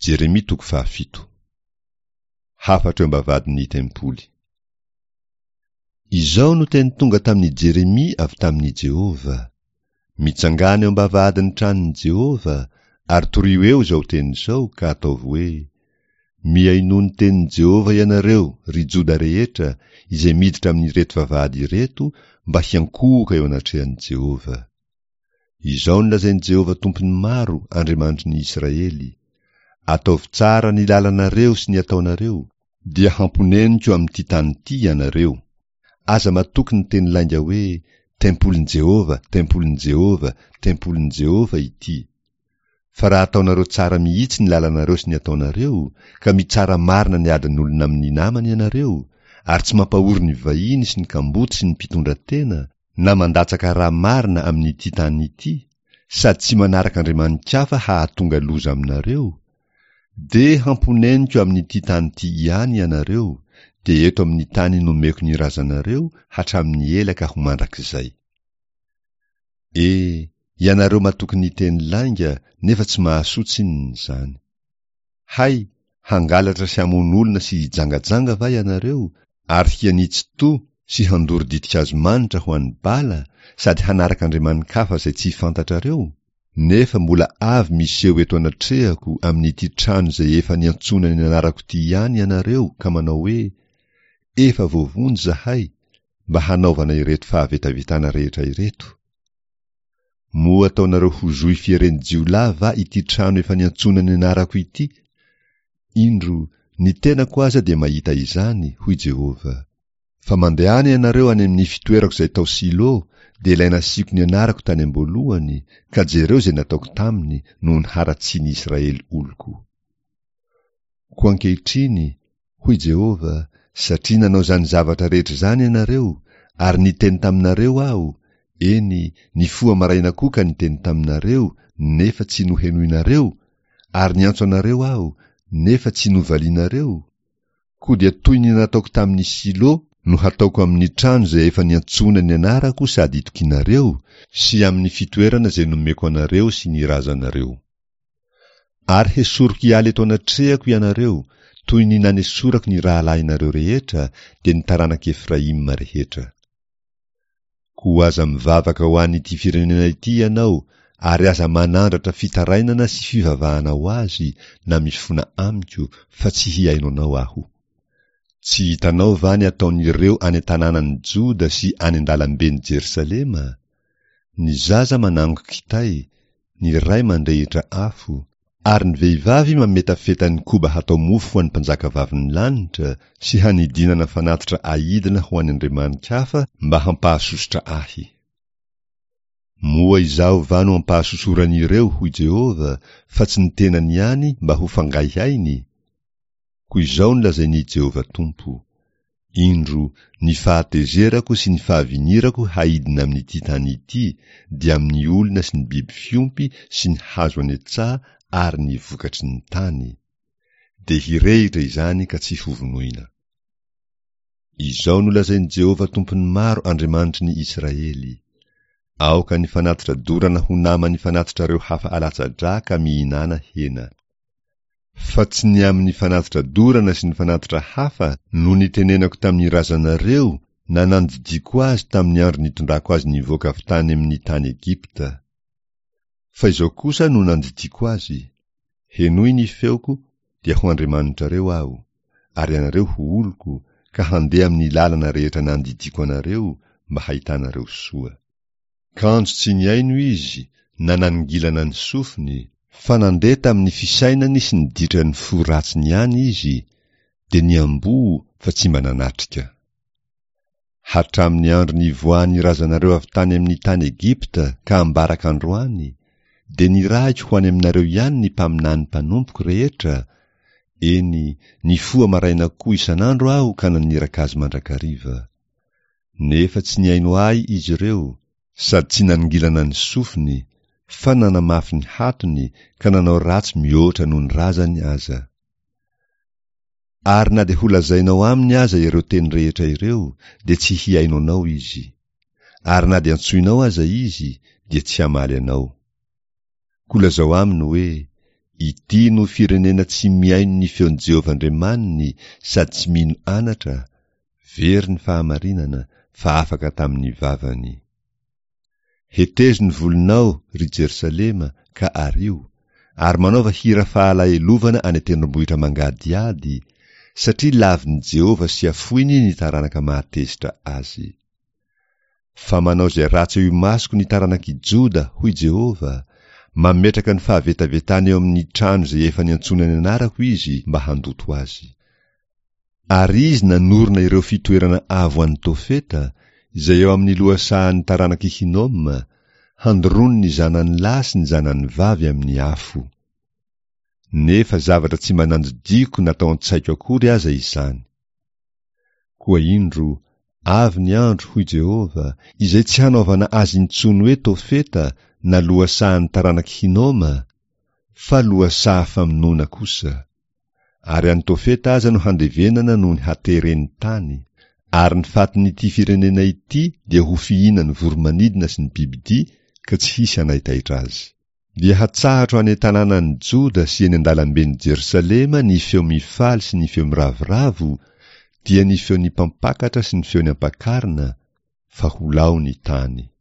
Jeremia toko fahafito. Hafatra eo am-bavahadin'ny tempoly. Izao no teny tonga tamin'i Jeremia avy tamin'i Jehovah, Mitsangàna eo am-bavahadin'ny tranon'i Jehovah, ary torio eo izao teny izao, ka ataovy hoe, 'Mihainoa ny tenin'i Jehovah ianareo, ry Joda rehetra, izay miditra amin'ireto vavahady ireto mba hiankohoka eo anatrehan'i Jehovah. Izao no lazain'i Jehovah Tompon'ny maro, Andriamanitry ny Israely, Ataovy tsara ny lalanareo sy ny ataonareo, dia hamponeniko amin'ity tany ity ianareo. Aza matoky ny teny lainga hoe, 'Tempolin'i Jehovah, tempolin'i Jehovah, tempolin'i Jehovah ity. Fa raha ataonareo tsara mihitsy ny lalanareo sy ny ataonareo, ka mitsara marina ny adin'olona amin'ny namany ianareo, ary tsy mampahory ny vahiny sy ny kamboty sy ny mpitondra tena, na mandatsaka rà marina amin'ity tany ity, sady tsy manaraka andriamani-kafa hahatonga loza aminareo, dia hamponeniko amin'ity tany ity ihany ianareo, dia eto amin'ny tany nomeko ny razanareo hatramin'ny ela ka ho mandrakizay. E, ianareo matoky ny teny lainga nefa tsy mahasoa tsinona izany. Hay, hangalatra sy hamono olona sy hijangajanga va ianareo, ary hianitsy to sy handoro ditin-kazo manitra ho an'i Bala sady hanaraka andriamani-kafa izay tsy fantatrareo? Nefa mbola avy miseho eto anatrehako amin'ity trano izay efa niantsoana ny anarako ity ihany ianareo ka manao hoe, Efa voavonjy izahay, mba hanaovana ireto fahavetavetana rehetra ireto. Moa ataonareo ho zohy fieren'ny jiolahy va ity trano efa niantsoana ny anarako ity? Indro, ny tenako aza dia mahita izany, hoy Jehovah. Fa mandehana ianareo any amin'ny fitoerako izay tao Silo, dia ilay nasiako ny anarako tany am-boalohany, ka jereo izay nataoko taminy noho ny haratsian'ny Israely oloko. Koa ankehitriny, hoy Jehovah, satria nanao izany zavatra rehetra izany ianareo, ary niteny taminareo Aho, eny, nifoha maraina koa ka niteny taminareo, nefa tsy nohenoinareo, ary niantso anareo Aho, nefa tsy novalianareo, koa dia toy ny nataoko tamin'i Silo no hataoko amin'ny trano izay efa niantsoana ny anarako sady itokianareo, sy amin'ny fitoerana izay nomeko anareo sy ny razanareo. Ary hesoriko hiala eto anatrehako ianareo, toy ny nanesorako ny rahalahinareo rehetra, dia ny taranak'i Efraima rehetra. Koa aza mivavaka ho an'ity firenena ity ianao, ary aza manandratra fitarainana sy fivavahana ho azy na mifona amiko, fa tsy hihaino anao aho. Tsy hitanao va ny ataon'ireo any an-tanànan'i Joda sy any an-dalamben'i Jerosalema? Ny zaza manango kitay, ny ray mandrehitra afo, ary ny vehivavy mametafeta ny koba hatao mofo ho an'ny mpanjakavavin'ny lanitra sy hanidinana fanatitra ahidina ho an'ny andriamani-kafa mba hampahasosotra ahy. Moa izaho va no ampahasosoran'ireo, hoy Jehovah, fa tsy ny tenany ihany mba ho fangaihainy? Koa izao no lazain'i Jehovah Tompo, Indro, ny fahatezerako sy ny fahavinirako haidina amin'ity tany ity, dia amin'ny olona sy ny biby fiompy sy ny hazo any an-tsaha ary ny vokatry ny tany. Dia hirehitra izany ka tsy hovonoina. Izao no lazain'i Jehovah Tompon'ny maro Andriamanitry ny Israely, Aoka ny fanatitra dorana ho naman'ny fanatitrareo hafa alatsa-drà ka mihinàna hena. Fa tsy ny amin'ny fanatitra dorana sy ny fanatitra hafa no nitenenako tamin'ny razanareo na nandidiako azy tamin'ny andro nitondrako azy nivoaka avy tany amin'ny tany Egypta. Fa izao kosa no nandidiako azy, Henoy ny feoko, dia ho Andriamanitrareo Aho, ary ianareo ho oloko, ka handeha amin'ny lalana rehetra nandidiako anareo mba hahitanareo soa. Kanjo tsy nihaino izy na nanongilana ny sofiny, fa nandeha tamin'ny fisainany sy ny ditran'ny fo ratsiny ihany izy, dia niamboho fa tsy mba nanatrika. Hatramin'ny andro nivoahan'ny razanareo avy tany amin'ny tany Egypta ka ambaraka androany, dia nirahiko ho any aminareo ihany ny mpaminany mpanompoko rehetra, eny, nifoha maraina koa isan'andro aho ka naniraka azy mandrakariva. Nefa tsy nihaino ahy izy ireo, sady tsy nanongilana ny sofiny, fa nanamafy ny hatony ka nanao ratsy mihoatra noho ny razany aza. Ary na dia holazainao aminy aza ireo teny rehetra ireo, dia tsy hihaino anao izy. Ary na dia antsoinao aza izy, dia tsy hamaly anao. Koa lazao aminy hoe, Ity no firenena tsy mihaino ny feon'i Jehovah Andriamaniny sady tsy mino anatra, very ny fahamarinana, fa afaka tamin'ny vavany. Hetezo ny volonao, ry Jerosalema, ka ario, ary manaova hira fahalahelovana any an-tendrombohitra mangadihady, satria lavin'i Jehovah sy afoiny ny taranaka mahatezitra azy. Fa manao izay ratsy eo imasoko ny taranak'i Joda, hoy Jehovah, mametraka ny fahavetavetany eo amin'ny trano izay efa niantsoana ny anarako izy mba handoto azy. Ary izy nanorina ireo fitoerana avo any Tofeta, izay eo amin'ny lohasahan'ny taranak'i Hinoma, handoroany ny zanany lahy sy ny zanany vavy amin'ny afo. Nefa zavatra tsy mba nandidiako na tao an-tsaiko akory aza izany. Koa indro, avy ny andro, hoy Jehovah, izay tsy hanaovana azy intsony hoe Tofeta na lohasahan'ny taranak'i Hinoma, fa lohasaha famonoana kosa. Ary any Tofeta aza no handevenana noho ny hateren'ny tany, ary ny fatin'ity firenena ity dia ho fihinan'ny voro-manidina sy ny bibidia ka tsy hisy hanaitaitra azy. Dia hatsahatro any an-tanànan'i Joda sy eny an-dalamben'i Jerosalema ny feo mifaly sy ny feo miravoravo, dia ny feon'ny mpampakatra sy ny feon'ny ampakarina, fa ho lao ny tany.